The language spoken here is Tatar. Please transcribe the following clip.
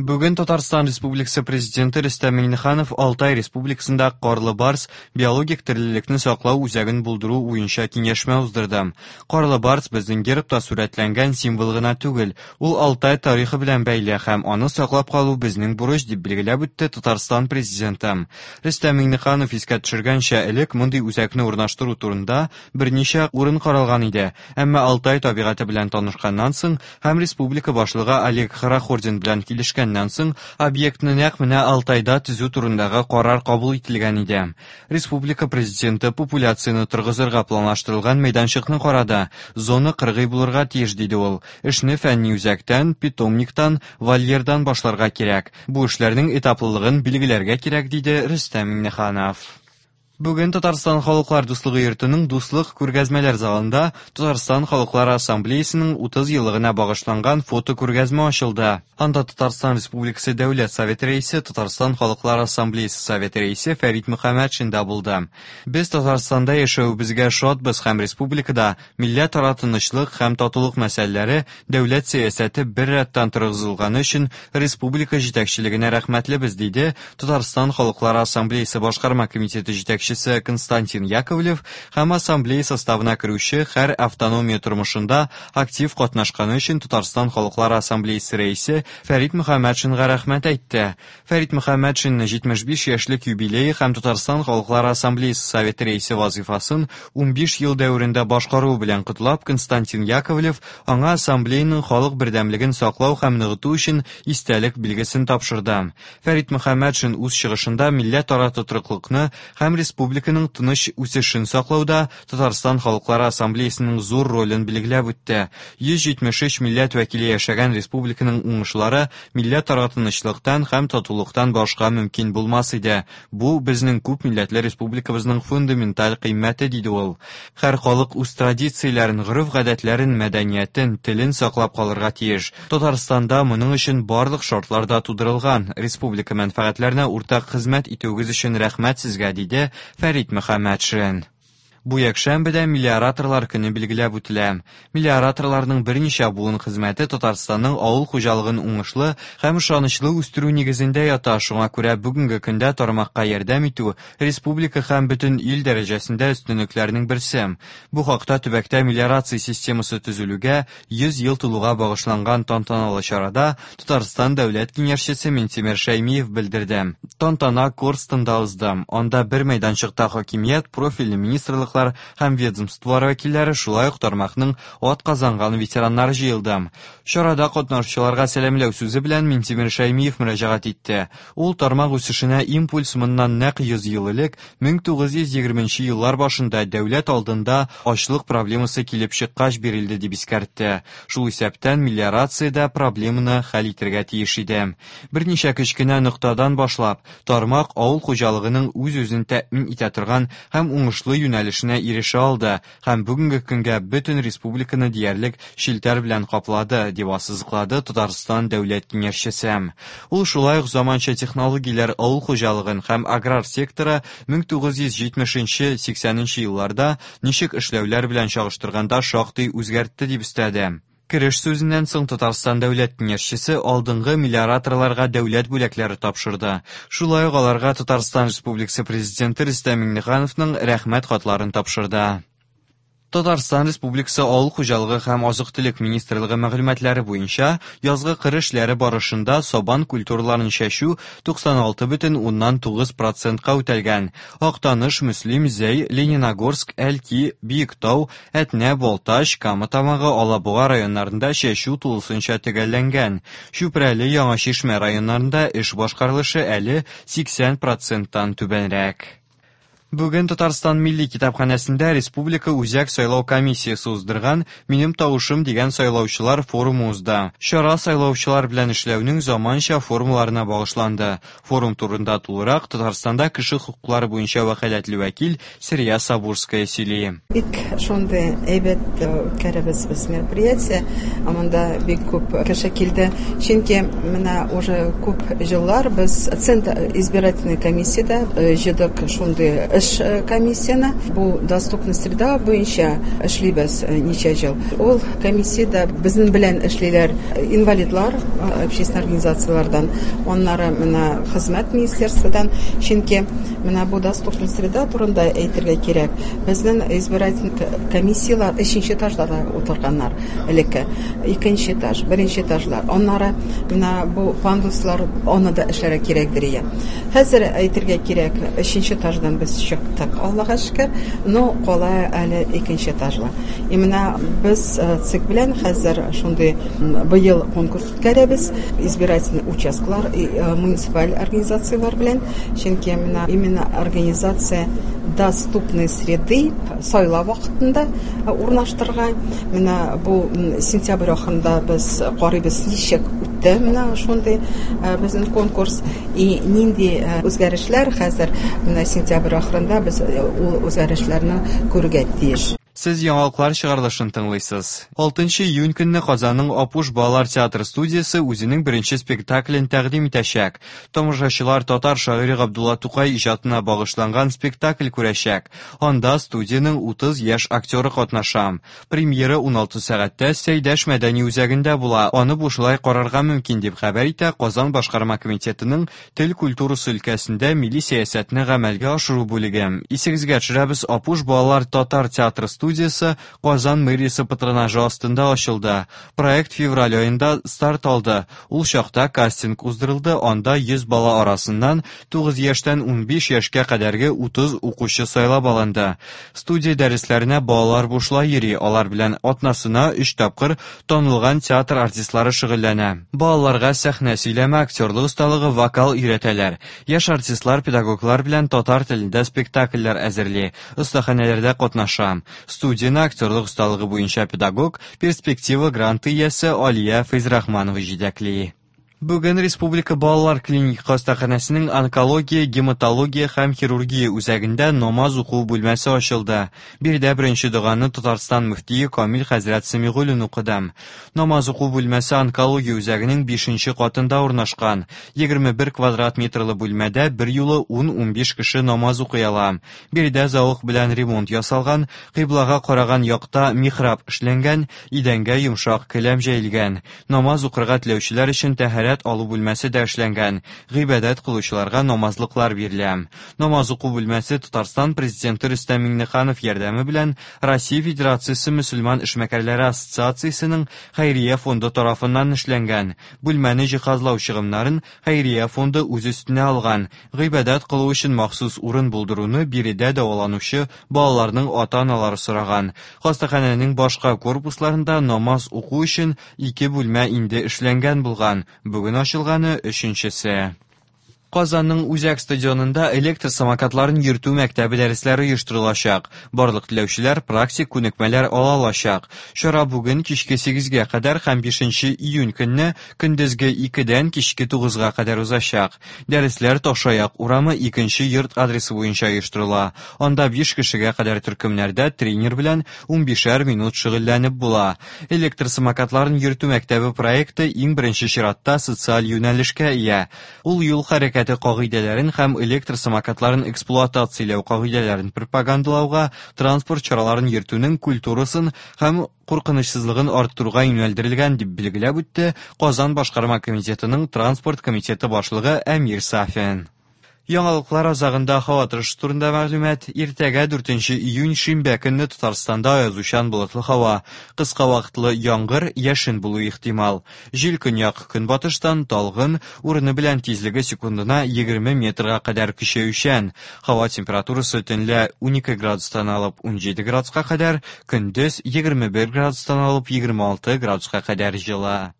Бүген Татарстан Республикасы Президенты Рөстәм Миңнеханов Алтай Республикасында Карлы барс биологик терлекне саклау үзәген булдыру буенча киңәшмә уздырды. Карлы барс безнең гербта сурәтләнгән символ гына түгел, ул Алтай тарихы белән бәйле һәм аны саклап калу безнең бурыч, дип билгеләп үтте Татарстан Президенты. Рөстәм Миңнеханов искә төшергәнчә, элек мондый үзәкне урнаштыру турында берничә урын каралган иде, әмма Алтай табигате белән танышканнан соң һәм республика башлыгы Олег Хорохордин белән килешкәннән соң объектны нәкъ менә Алтайда төзү турындагы карар кабул ителгән иде. Республика президенты популяцияне торгызырга планлаштырылган мәйданчыкны карады. Зона кыргый булырга тиеш, диде ул. Эшне фәнни үзәктән, питомниктан, вольердан башларга кирәк. Бу эшләрнең этаплылыгын билгеләргә кирәк, диде Рөстәм Миңнеханов. Бүген Татарстан Халыклар дуслыгы йортының Дуслык күргәзмәләр залында Татарстан Халыклар Ассамблеясының 30 еллыгына багышланган фотокүргәзмә ачылды. Анда Татарстан Республикасы Дәүләт Советы рәисе, Татарстан Халыклар Ассамблеясы Советы рәисе Фәрит Мөхәммәтшин да булды. Без Татарстанда яшәвебезгә шатбыз һәм республикада милләтара тынычлык һәм татулык мәсьәләләре дәүләт сәясәте бер рәттән торгызылганы өчен республика җитәкчелегенә рәхмәтлебез, диде Татарстан Халыклар Ассамблеясы башкарма комитеты җитәкчесе Константин Яковлев һәм ассамблея составына керүче һәр автономия тормышында актив катнашканы өчен Татарстан Халыклар Ассамблеясы рәисе Фәрит Мөхәммәтшинга рәхмәт әйтте. Фәрит Мөхәммәтшинны 75 яшьлек юбилее һәм Татарстан Халыклар Ассамблеясы Советы рәисе вазыйфасын 15 ел дәверендә башкаруы белән котлап, Константин Яковлев аңа ассамблеяның халык бердәмлеген саклау һәм ныгыту өчен истәлек билгесен тапшырды. Фәрит Мөхәммәтшин үз чыгышында милләтара тотрыклыкны һәм республиканың тыныч үсешен саклауда Татарстан Халыклары Ассамблеясының зур ролен билгеләп үтте. 173 милләт вәкиле яшәгән республиканың уңышлары милләтара тынычлыктан һәм татулыктан башка мөмкин булмас иде. Бу безнең күп милләтле республикабызның фундаменталь кыйммәте, диде ул. Һәр халык үз традицияләрен, гореф-гадәтләрен, мәдәниятен, телен саклап калырга тиеш. Татарстанда моның өчен барлык шартлар да тудырылган. Республика мәнфәгатьләренә уртак хезмәт итүегез өчен рәхмәт сезгә, диде Фәрит Мөхәммәтшин. Бу якшәмбедә мелиораторлар көне билгеләп үтелә. Мелиораторларның берничә буын хезмәте Татарстанның авыл хуҗалыгын уңышлы һәм ышанычлы үстерү нигезендә ята, шуңа күрә бүгенге көндә тармакка ярдәм итү республика һәм бөтен ил дәрәҗәсендә өстенлекләрнең берсе. Бу хакта төбәктә мелиорация системасы төзелүгә 100 ел тулуга багышланган тантаналы чарада Татарстан Дәүләт Киңәшчесе Минтимер Шәймиев белдерде. Тантана Корстонда узды. Анда бер мәйданчыкта хакимият, профильле министрлыклар һәм ведомстволар вәкилләре, шулай ук тармакның атказанган ветераннары җыелды. Чарада катнашучыларга сәламләү сүзе белән Минтимер Шәймиев мөрәҗәгать итте. Ул тармак үсешенә импульс моннан нәкъ 100 ел элек, 1920 еллар башында дәүләт алдында ачлык проблемасы килеп чыккач бирелде дип искәртте. Шул исәптән мелиорация дә проблеманы хәл итәргә тиеш иде. Берничә кечкенә ноктадан башлап, тармак авыл хуҗалыгының үз-үзен тәэмин итә торган һәм уңышлы юнәлешенә ирешә алды һәм бүгенге көнгә бөтен республиканы диярлек челтәр белән каплады, дип ассызыклады Татарстан Дәүләт Киңәшчесе. Ул шулай ук заманча технологияләр авыл хуҗалыгын һәм аграр секторы 1970-80 елларда ничек эшләүләр белән чагыштырганда шактый үзгәртте дип өстәде. Кереш сүзеннән соң Татарстан Дәүләт Киңәшчесе алдынгы мелиораторларга дәүләт бүләкләре тапшырды. Шулай ук аларга Татарстан Республикасы Президенты Рөстәм Миңнехановның рәхмәт хатларын тапшырды. Татарстан Республикасы Авыл хуҗалыгы һәм азык-төлек министрлыгы мәгълүматлары буенча, язгы кыр эшләре барышында сабан культураларын чәчү 96,9 процентка үтәлгән. Актаныш, Мөслим, Зәй, Лениногорск, Әлки, Биектау, Әтнә, Балтач, Кама Тамагы, Алабуга районнарында чәчү тулысынча төгәлләнгән. Чүпрәле, Яңа Чишмә районнарында эш башкарылышы әле 80 проценттан түбәнрәк. Бүген Татарстан Милли китапханәсендә Республика Үзәк сайлау комиссиясе уздырган Минем тавышым дигән сайлаучылар форумы узды. Чара сайлаучылар белән эшләүнең заманча формаларына багышланды. Форум турында тулырак Татарстанда кеше хокуклары буенча вәкаләтле вәкил Сәрия Сабурская сөйли. Бик шундый әйбәт үткәрәбез без мероприятие. Монда бик күп кеше килде. Чөнки менә уже күп еллар без Центр избирательной комиссиядә җыйдык шундый эш. эш комиссияне. Бу доступная среда буенча эшлибез ничә ел. Ул комиссиядә безнең белән эшлиләр инвалидлар, общественный организацияләрдән, аннары менә хезмәт министерстводан, чөнки менә бу доступная среда турында әйтергә кирәк. Безнең избиратель комиссияләр өченче этажда да утырганнар элекке. Икенче этаж, беренче этажлар. Аннары менә бу пандуслар, аны да эшләргә кирәкдер ия. Хәзер әйтергә кирәк, өченче этаждан без чыктык, Аллага шөкер, но кала әле икенче этажлар. И менә без ЦИК белән хәзер шундый быел конкурс үткәрәбез, избирательный участкалар, муниципаль организацияләр белән, чөнки менә именно организация доступной среды сайлау вакытында урнаштырырга. Менә бу сентябрь ахырында без карыйбыз, ничек үтте менә шундый безнең конкурс и нинди үзгәрешләр хәзер менә сентябрь ахырында без ул үзгәрешләрне күрергә тиеш. Сез яңалыклар чыгарылышын тыңлыйсыз. 6 июнь көнне Казанның Апуш балалар театры студиясе үзенең беренче спектаклен тәкъдим итәчәк. Тамашачылар татар шагыйре Габдулла Тукай иҗатына багышланган спектакль күрәчәк. Анда студиянең 30 яшь актеры катнаша. Премьера 16 сәгатьтә Сәйдәш мәдәни үзәгендә була. Аны бушлай карарга мөмкин, дип хәбәр итә Казан башкарма комитетының тел культурасы өлкәсендә милли сәясәтне гамәлгә ашыру бүлеге. Исегезгә төшерәбез, Апуш балалар татар театры студиясе Казан мэриясе патронажы астында ачылды. Проект февраль аенда старт алды. Ул чакта кастинг уздырылды, анда 100 бала арасыннан 9 яшьтән 15 яшькә кадәрге 30 укучы сайлап алынды. Студия дәресләренә балалар бушлай йөри, алар белән атнасына 3 тапкыр танылган театр артистлары шөгыльләнә. Балаларга сәхнә сөйләме, актерлык осталыгы, вокал өйрәтәләр. Яшь артистлар педагоглар белән татар телендә спектакльләр әзерли, остаханәләрдә катнаша. Студияне актерлык осталыгы буенча педагог, перспектива гранты иясе Алия Фәйзрахманова җитәкли. Бүген Республика балалар клиник хастаханәсенең онкология, гематология һәм хирургия үзәгендә намаз уку бүлмәсе ачылды. Биредә беренче доганы Татарстан мөфтие Камил хәзрәт Сәмигуллин укыды. Намаз уку бүлмәсе онкология үзәгенең 5нче катында урнашкан. 21 квадрат метрлы бүлмәдә бер юлы 10-15 кеше намаз укый ала. Биредә зәвык белән ремонт ясалган, кыйблага караган якта михраб эшләнгән, идәнгә йомшак келәм җәелгән. Намаз укырга теләүчеләр өчен тәһарәт алу бүлмәсе дә эшләнгән. Гыйбадәт кылучыларга намазлыклар бирелә. Намаз уку бүлмәсе Татарстан президенты Рөстәм Миңнеханов ярдәме белән Россия Федерациясе мөселман эшмәкәрләре ассоциациясенең хәйрия фонды тарафыннан эшләнгән. Бүлмәне җиһазлау чыгымнарын хәйрия фонды үз өстенә алган. Гыйбадәт кылу өчен махсус урын булдыруны биредә дәваланучы балаларның ата-аналары сораган. Хастаханәнең башка корпусларында намаз уку өчен 2 бүлмә инде эшләнгән булган. Бүген ачылганы өченчесе. Казанның үзәк стадионында электр самокатларын йөртү мәктәбе дәресләре оештырылачак. Барлык теләүчеләр практик күнекмәләр ала алачак. Чара бүген кичке 8-гә кадәр һәм 5 июнь көнне көндезге 2-дән кичке 9-га кадәр узачак. Дәресләр Ташаяк урамы 2 йорт адресы буенча оештырыла. Анда 5 кешегә кадәр төркемнәрдә тренер белән 15 минут шөгыльләнеп була. Электр самокатларын йөртү мәктәбе проекты иң беренче чиратта социаль юнәлешкә ия. Ул юл хәрәкәте кагыйдәләрен һәм электр самокатларын эксплуатацияләү кагыйдәләрен пропагандалауга, транспорт чараларын йөртүнең культурасын һәм куркынычсызлыгын арттыруга юнәлдерелгән, дип билгеләп үтте Казан башкарма комитетының транспорт комитеты башлыгы Әмир Сафин. Яңалыклар азагында һава торышы турында мәгълүмат. Иртәгә 4 июнь шимбә көнне Татарстанда аязучан болытлы һава, кыска вакытлы яңгыр, яшен булу ихтимал. Җил көньяк көнбатыштан талгын, урыны белән тизлеге секундына 20 метрга кадәр көчәючән. Һава температурасы төнлә 12 градустан алып 17 градуска кадәр, көндез 21 градустан алып 26 градуска кадәр җылы.